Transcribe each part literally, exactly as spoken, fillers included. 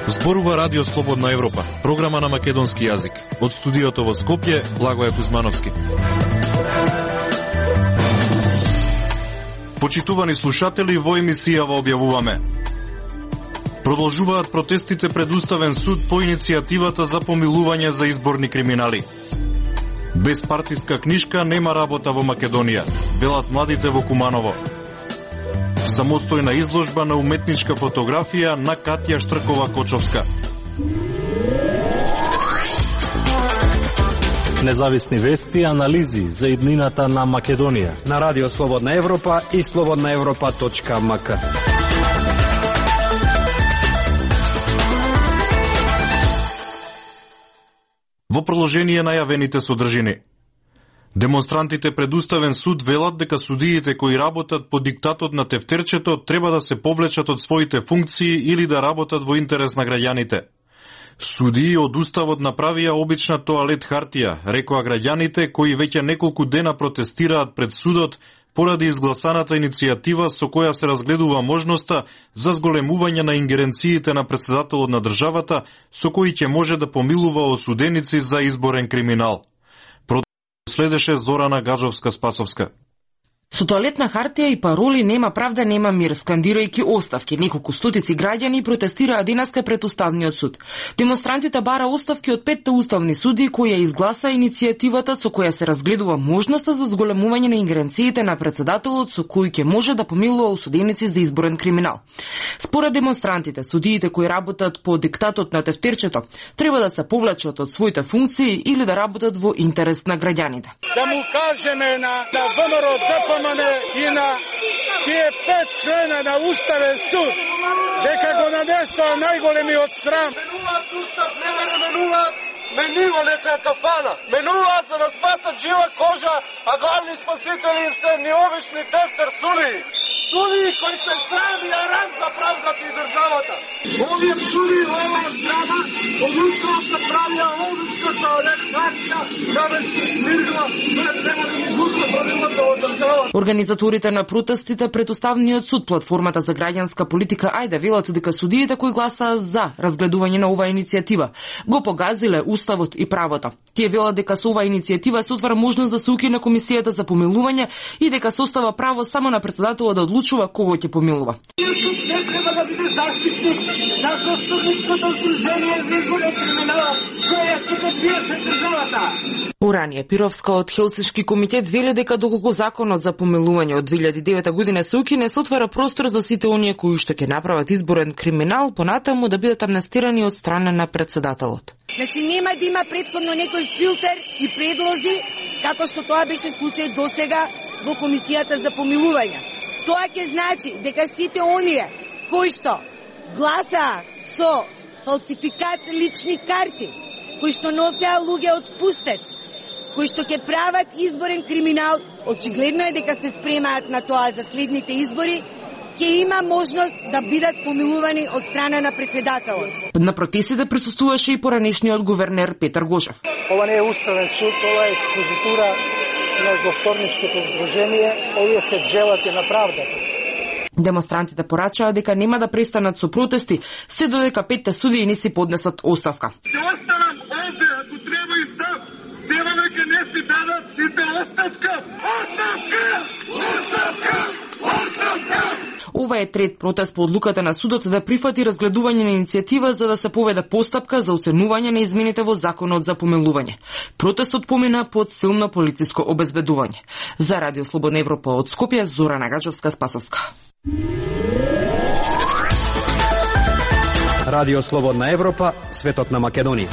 Зборува Радио Слободна Европа, програма на македонски јазик. Од студиото во Скопје, Благоје Кузмановски. Почитувани слушатели, во емисијава објавуваме: продолжуваат протестите пред Уставен суд по иницијативата за помилување за изборни криминали. Без партиска книшка нема работа во Македонија, велат младите во Куманово. Самостојна изложба на уметничка фотографија на Катја Штркова-Кочовска. Независни вести и анализи за иднината на Македонија на Радио Слободна Европа и слободна европа точка ем ка. Во продолжение на јавените содржини. Демонстрантите пред Уставен суд велат дека судиите кои работат по диктатот на тефтерчето треба да се повлечат од своите функции или да работат во интерес на граѓаните. Судии од Уставот направија обична тоалет хартија, рекоа граѓаните кои веќе неколку дена протестираат пред судот поради изгласаната иницијатива со која се разгледува можноста за зголемување на ингеренциите на претседателот на државата, со кои ќе може да помилува осуденици за изборен криминал. Следеше Зорана Гажовска-Спасовска. Со тоалетна хартија и пароли "Нема правда, нема мир", скандирајќи оставки, неколку стотици граѓани протестираа денеска пред Уставниот суд. Демонстрантите бара оставки од петте уставни суди кои ја изгласа иницијативата со која се разгледува можноста за зголемување на ингеренциите на претседателот со кој ќе може да помилува осуденици за изборен криминал. Според демонстрантите, судиите кои работат по диктатот на тефтерчето треба да се повлечат од своите функции или да работат во интерес на граѓаните. Да му кажеме на, на ВМРО Д П М Н и на тие пет члена на Уставен суд дека го нанесоа најголемиот срам. Менуваат устав, не ме менуваат, менива нека кафана. Менуваат за да спасат жива кожа, а главни спасители им се неовишни тефтер судии. Судии кои се срами на ран за правдата и државата. Овие судии во оваа здрава, од утро се правија обична тоалетна да ме се смирила, да треба да ми густа правилата од државата. Организаторите на протестите пред Уставниот суд, платформата за граѓанска политика Ајде, велат дека судиите кои гласаа за разгледување на оваа иницијатива го погазиле Уставот и правото. Тие велат дека со оваа иницијатива се отвара можност да се укине комисијата за помилување и дека се остава право само на претседателот да одлучува кого ќе помилува. Не треба да биде заштитник на Конституцијското здружение за изборен криминал, која ќе пиеше државата. Уранија Пировска од Хелсиншки комитет вели дека доколку законот за помилување од две илјади и девета година се укине, се отвара простор за сите оние кои што ќе направат изборен криминал понатаму да бидат амнестирани од страна на претседателот. Значи нема да има претходно некој филтер и предлози како што тоа беше случај досега во комисијата за помилување. Тоа ќе значи дека сите оние кои што гласаа со фалсификат лични карти, кои што носеа луѓе од пустец, кои што ќе прават изборен криминал, очигледно е дека се спремаат на тоа за следните избори, ќе има можност да бидат помилувани од страна на претседателот. На протестите присуствуваше и поранешниот гувернер Петар Гошев. Ова не е Уставен суд, ова е експозитура на Госпорничкото здружение, овие се джелати на правдата. Демонстрантите порачаа дека нема да престанат со протести, се додека петте судии не си поднесат оставка. Ќе оставам овде, ако треба и сам. Сева дека не си дадат сите оставка. Оставка! Оставка! Оставка! Ова е трет протест по одлуката на судот да прифати разгледување на иницијатива за да се поведе постапка за оценување на измените во законот за помилување. Протестот помина под силно полициско обезбедување. За Радио Слободна Европа од Скопје, Зорана Гажовска-Спасовска. Радио Слободна Европа, светот на Македонија.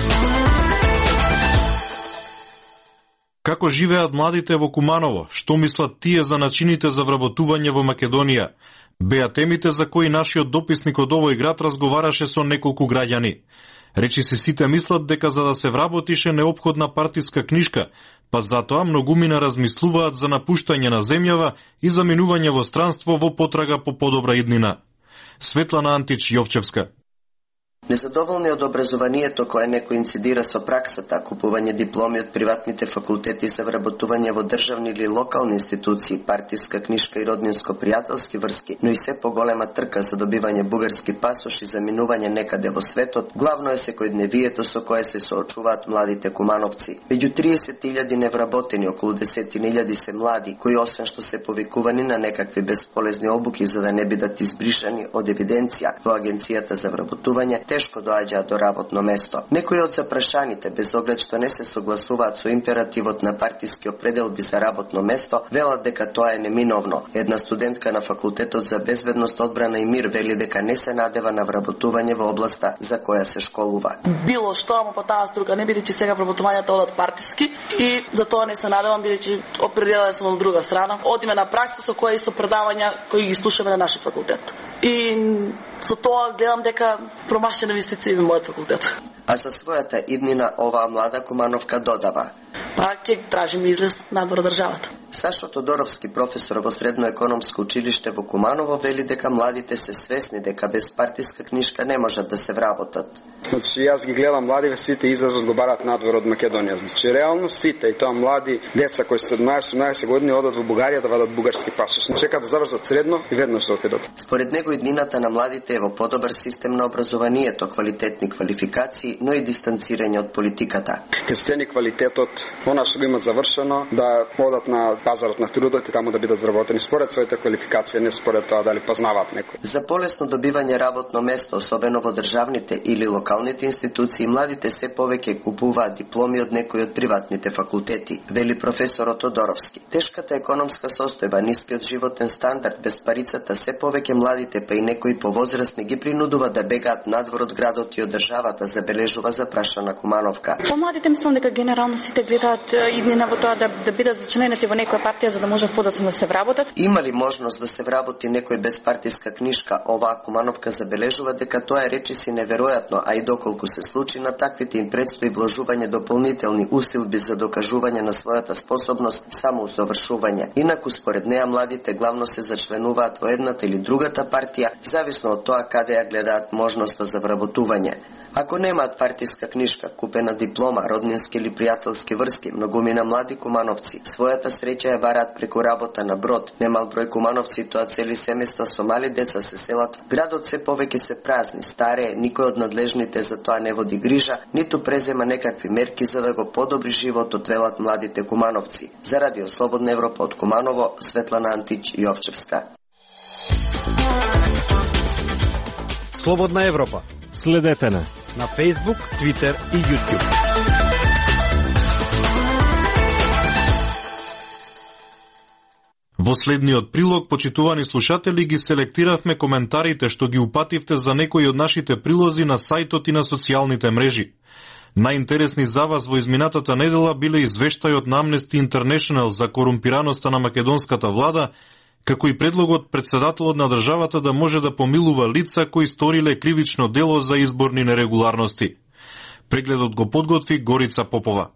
Како живеат младите во Куманово? Што мислат тие за начините за вработување во Македонија? Беа темите за кои нашиот дописник од овој град разговараше со неколку граѓани. Речи си сите мислат дека за да се вработише неопходна партиска книшка, па затоа многумина размислуваат за напуштање на земјава и заминување во странство во потрага по подобра иднина. Светлана Антич Јовчевска. Незадоволни од образованието кое некој инцидира со праксата, купување дипломи од приватните факултети за вработување во државни или локални институции, партиска книшка и роднинско-пријателски врски, но и се поголема трка за добивање бугарски пасош и заминување некаде во светот, главно е секојдневието со кое се соочуваат младите кумановци. Меѓу триесет илјади невработени, околу десет илјади се млади, кои освен што се повикувани на некакви бесполезни обуки за да не бидат избришани од евиденција во Агенцијата за вработување, тешко доаѓаат до работно место. Некои од запрашаните, без оглед што не се согласуваат со императивот на партиски определби за работно место, велат дека тоа е неминовно. Една студентка на факултетот за безбедност, одбрана и мир вели дека не се надева на вработување во областа за која се школува. Било што, ама по таа струка, не бидејќи сега вработувањата одат партиски и за тоа не се надевам, бидејќи определена сум од друга страна. Одиме на пракса со која исто предавања кои ги слушаме на нашиот факултет. И со тоа гледам дека промашена инвестиција во мојот факултет. А за својата иднина оваа млада кумановка додава: па ќе тражиме излез надвор од државата. Сашо Тодоровски, професор во Средно економско училиште во Куманово, вели дека младите се свесни дека без партиска книшка не можат да се вработат. Значи, јас ги гледам младиве, сите излезот го барат надвор од Македонија. Значи, реално сите, и тоа млади деца кои се седнаесет-осумнаесет години одат во Бугарија да вадат бугарски пасош. Не чекаат да завршат средно и веднаш да отидат. Според него иднината на младите е во подобар систем на образованието, квалитетни квалификации, но и дистанцирање од политиката. Ке цени квалитетот, она што го има завршено, да одат на пазарот на трудот и таму да бидат вработени според своите квалификации, не според тоа дали познаваат некој. За полесно добивање работно место, особено во државните или локалните институции, младите се повеќе купуваат дипломи од некои од приватните факултети, вели професорот Тодоровски. Тешката економска состојба, нискиот животен стандард, без парицата, се повеќе младите, па и некои повозрастни ги принудува да бегаат надвор од градот и од државата, забележува запрашана Кумановка. По младите мислам дека генерално сите гледаат иднина во тоа да, да бидат зачленети во некоја партија за да можат подоцна да се вработат. Има ли можност да се вработи некој без партиска книшка? Оваа Кумановка забележува дека тоа е речиси неверојатно, а и доколку се случи на таквите им предстои вложување дополнителни усилби за докажување на својата способност само усовршување. Инаку според неа младите главно се зачленуваат во едната или другата партија, зависно од тоа каде ја гледаат можноста за вработување. Ако немаат партиска книшка, купена диплома, роднински или пријателски врски, многумина млади кумановци својата среќа ја бараат преку работа на брод. Немал број кумановци, тоа цели семејства со мали деца се селат. Градот се повеќе се празни, старее, никој од надлежните за тоа не води грижа, ниту презема некакви мерки за да го подобри животот, велат младите кумановци. За Радио Слободна Европа од Куманово, Светлана Антич Јовчевска. Слободна Европа. Следете на на Facebook, Twitter и YouTube. Во следниот прилог, почитувани слушатели, ги селектиравме коментарите што ги упативте за некои од нашите прилози на сајтот и на социјалните мрежи. Најинтересни за вас во изминатата недела биле извештајот на Amnesty International за корумпираноста на македонската влада, како и предлогот председателот на државата да може да помилува лица кои сториле кривично дело за изборни нерегуларности. Прегледот го подготви Горица Попова.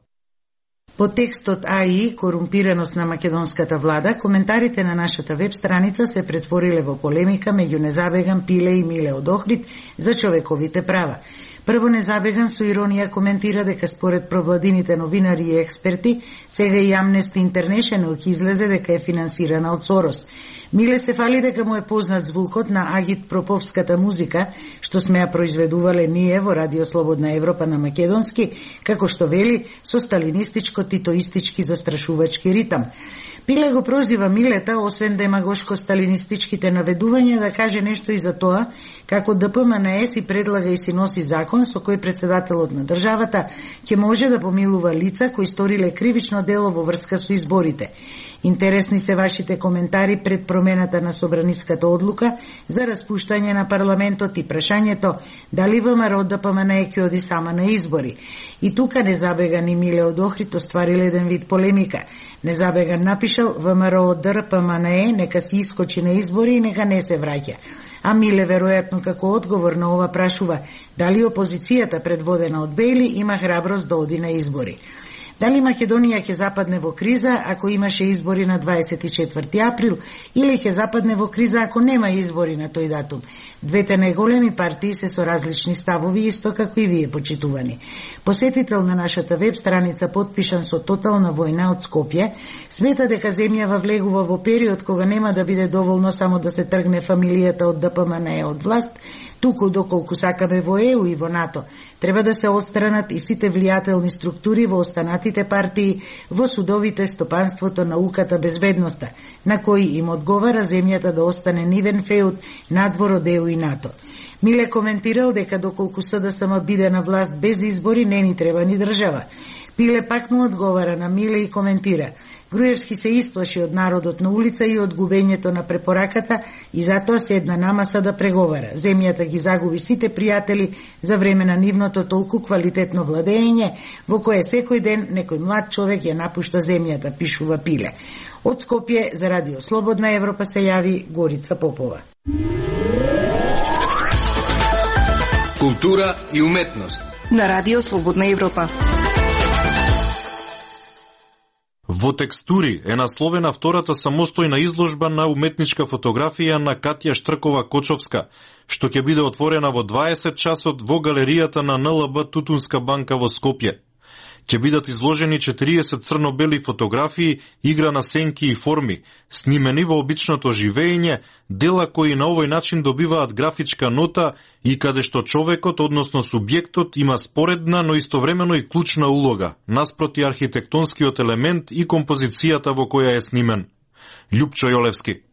По текстот АИ корумпираност на македонската влада, коментарите на нашата веб страница се претвориле во полемика меѓу Незабеган, Пиле и Миле од Охрид за човековите права. Прво Незабеган со иронија коментира дека според провладините новинари и експерти, сега и Amnesty International ќе излезе дека е финансирана од Сорос. Миле се фали дека му е познат звукот на Агит Проповската музика, што сме ја произведувале ние во Радио Слободна Европа на македонски, како што вели, со сталинистичко-титоистички застрашувачки ритам. Пиле го прозива Милета, освен демагошко-сталинистичките наведувања, да каже нешто и за тоа, како ДПМНЕ си предлага и си носи закон со кој председателот на државата ќе може да помилува лица кои сториле кривично дело во врска со изборите. Интересни се вашите коментари пред промената на собраниската одлука за распуштање на парламентот и прашањето дали ВМРО ДПМНЕ ќе оди сама на избори. И тука Незабеган и Миле од Охрид оствариле еден вид полемика. Незабеган напишал ВМРО ДПМНЕ нека си искочи на избори и нека не се враќа. А Миле веројатно како одговор на ова прашува дали опозицијата предводена од Бејли има храброст да оди на избори. Дали Македонија ќе западне во криза ако имаше избори на дваесет и четврти април или ќе западне во криза ако нема избори на тој датум? Двете најголеми партии се со различни ставови, исто како и вие, почитувани. Посетител на нашата веб страница, подпишан со тотална војна од Скопје, смета дека земјава влегува во период кога нема да биде доволно само да се тргне фамилијата од Д П М Н Е од власт, туку доколку сакаме во Е У и во НАТО, треба да се отстранат и сите влијателни структури во останатите партии, во судовите, стопанството, науката, безбедноста, на кои им одговара земјата да остане нивен феуд надвор од Е У и НАТО. Миле коментирал дека доколку С Д С М биде на власт без избори, не ни треба ни држава. Пиле пак му одговара на Миле и коментира: Груевски се исплаши од народот на улица и од губењето на препораката и затоа седна на маса да преговара. Земјата ги загуби сите пријатели за време на нивното толку квалитетно владење, во кое секој ден некој млад човек ја напушта земјата, пишува Пиле. Од Скопје за Радио Слободна Европа се јави Горица Попова. Култура и уметност на Радио Слободна Европа. Во Текстури е насловена втората самостојна изложба на уметничка фотографија на Катја Штркова-Кочовска, што ќе биде отворена во дваесет часот во галеријата на Н Л Б Тутунска банка во Скопје. Ќе бидат изложени четириесет црно-бели фотографии, игра на сенки и форми, снимени во обичното живење, дела кои на овој начин добиваат графичка нота и каде што човекот, односно субјектот, има споредна, но истовремено и клучна улога, наспроти архитектонскиот елемент и композицијата во која е снимен. Љупчо Јолевски.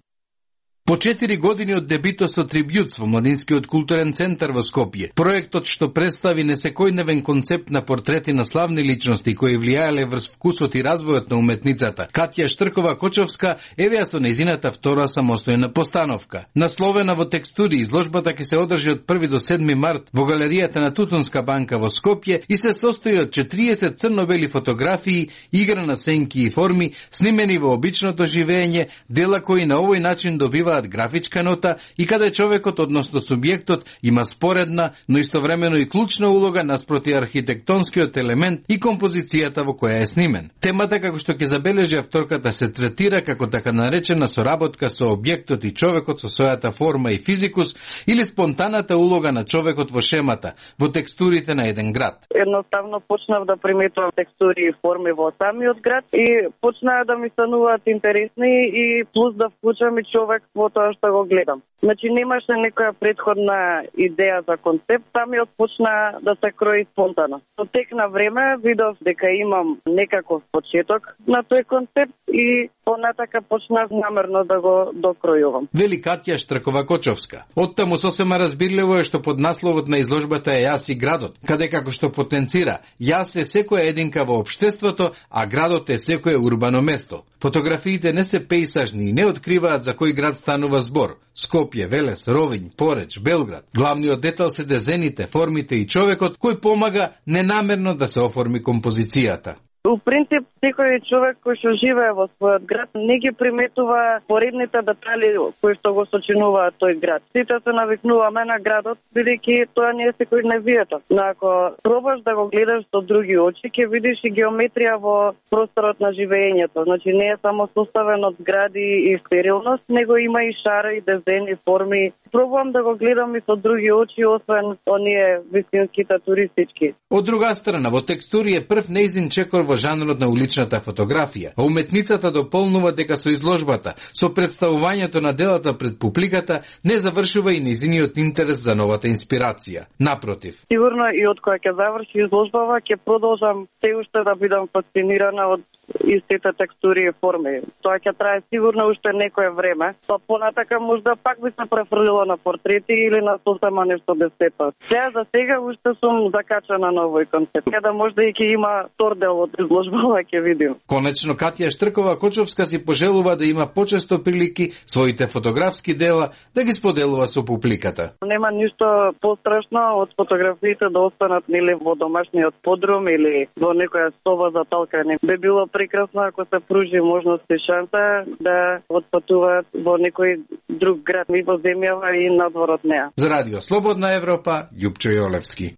По четири години од дебитот со Трибјутс во Младинскиот културен центар во Скопје, проектот што представи несекојдневен концепт на портрети на славни личности кои влијаеле врз вкусот и развојот на уметницата, Катја Штркова-Кочовска евеа со незината втора самостојна постановка. Насловена во Текстури, изложбата ќе се одржи од први до седми март во галеријата на Тутунска банка во Скопје и се состои од четириесет црно-бели фотографии, игра на сенки и форми, снимени во обичното живење, дела кои на овој начин добива графичка нота и каде човекот, односно субјектот, има споредна, но истовремено и клучна улога наспроти архитектонскиот елемент и композицијата во која е снимен. Темата, како што ќе забележи авторката, се третира како така наречена соработка со објектот и човекот со својата форма и физикус или спонтаната улога на човекот во шемата, во текстурите на еден град. Едноставно почнав да приметувам текстури и форми во самиот град и почнаа да ми стануваат интересни и плюс да вклучам и човек во тоа што го гледам. Значи немаше некоја предходна идеја за концепт, самиот почна да се крои спонтано. Со тек на време видов дека имам некаков почеток на тој концепт и понатака почнав намерно да го докројувам. Вели Катја Штркова-Кочовска. Оттаму сосема разбирливо е што под насловот на изложбата е Јас и градот, каде како што потенцира јас е секоја единка во општеството, а градот е секое урбано место. Фотографиите не се пејсажни и не откриваат за кој град станува збор. Скопје, Велес, Ровињ, Пореч, Белград. Главниот детал се дезените, формите и човекот кој помага ненамерно да се оформи композицијата. У принцип, секој човек кој што живее во својот град не ги приметува поредните детали кои што го сочинуваат тој град. Сите се навикнуваме на градот, бидејќи тоа не е секојдневието. Но ако пробаш да го гледаш со други очи, ќе видиш и геометрија во просторот на живењето. Значи не е само составен од згради и стерилност, него има и шара, и дизајн, и форми. Пробувам да го гледам и со други очи, освен оние вистинските туристички. Од друга страна, во Текстури е прв нејзин чекор во жанрот на уличната фотографија, а уметницата дополнува дека со изложбата, со представувањето на делата пред публиката, не завршува и нејзиниот интерес за новата инспирација. Напротив. Сигурно и од кога ќе заврши изложбава, ќе продолжам се уште да бидам фасцинирана од истите текстури и форми. Тоа ќе трае сигурно уште некое време, па понатака можда пак би се префрлила на портрети или на сосема нешто без сета. Сега за сега уште сум закачана на овој концепт. Каде можда и ќе има втор дел од изложбава, ќе видим. Конечно, Катја Штркова-Кочовска си пожелува да има почесто прилики своите фотографски дела да ги споделува со публиката. Нема ништо пострашно од фотографиите да останат нели во домашниот подрум или во некоја соба за талкање. Би било прекрасно ако се пружи можност и шанса да отпатуваат во некој друг град и во земјава и надвор од неа. За Радио Слободна Европа, Љупчо Јолевски.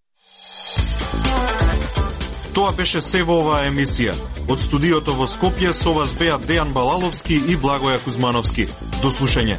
Тоа беше се во оваа емисија. Од студиото во Скопје со вас беа Дејан Балаловски и Благоја Кузмановски. До слушање.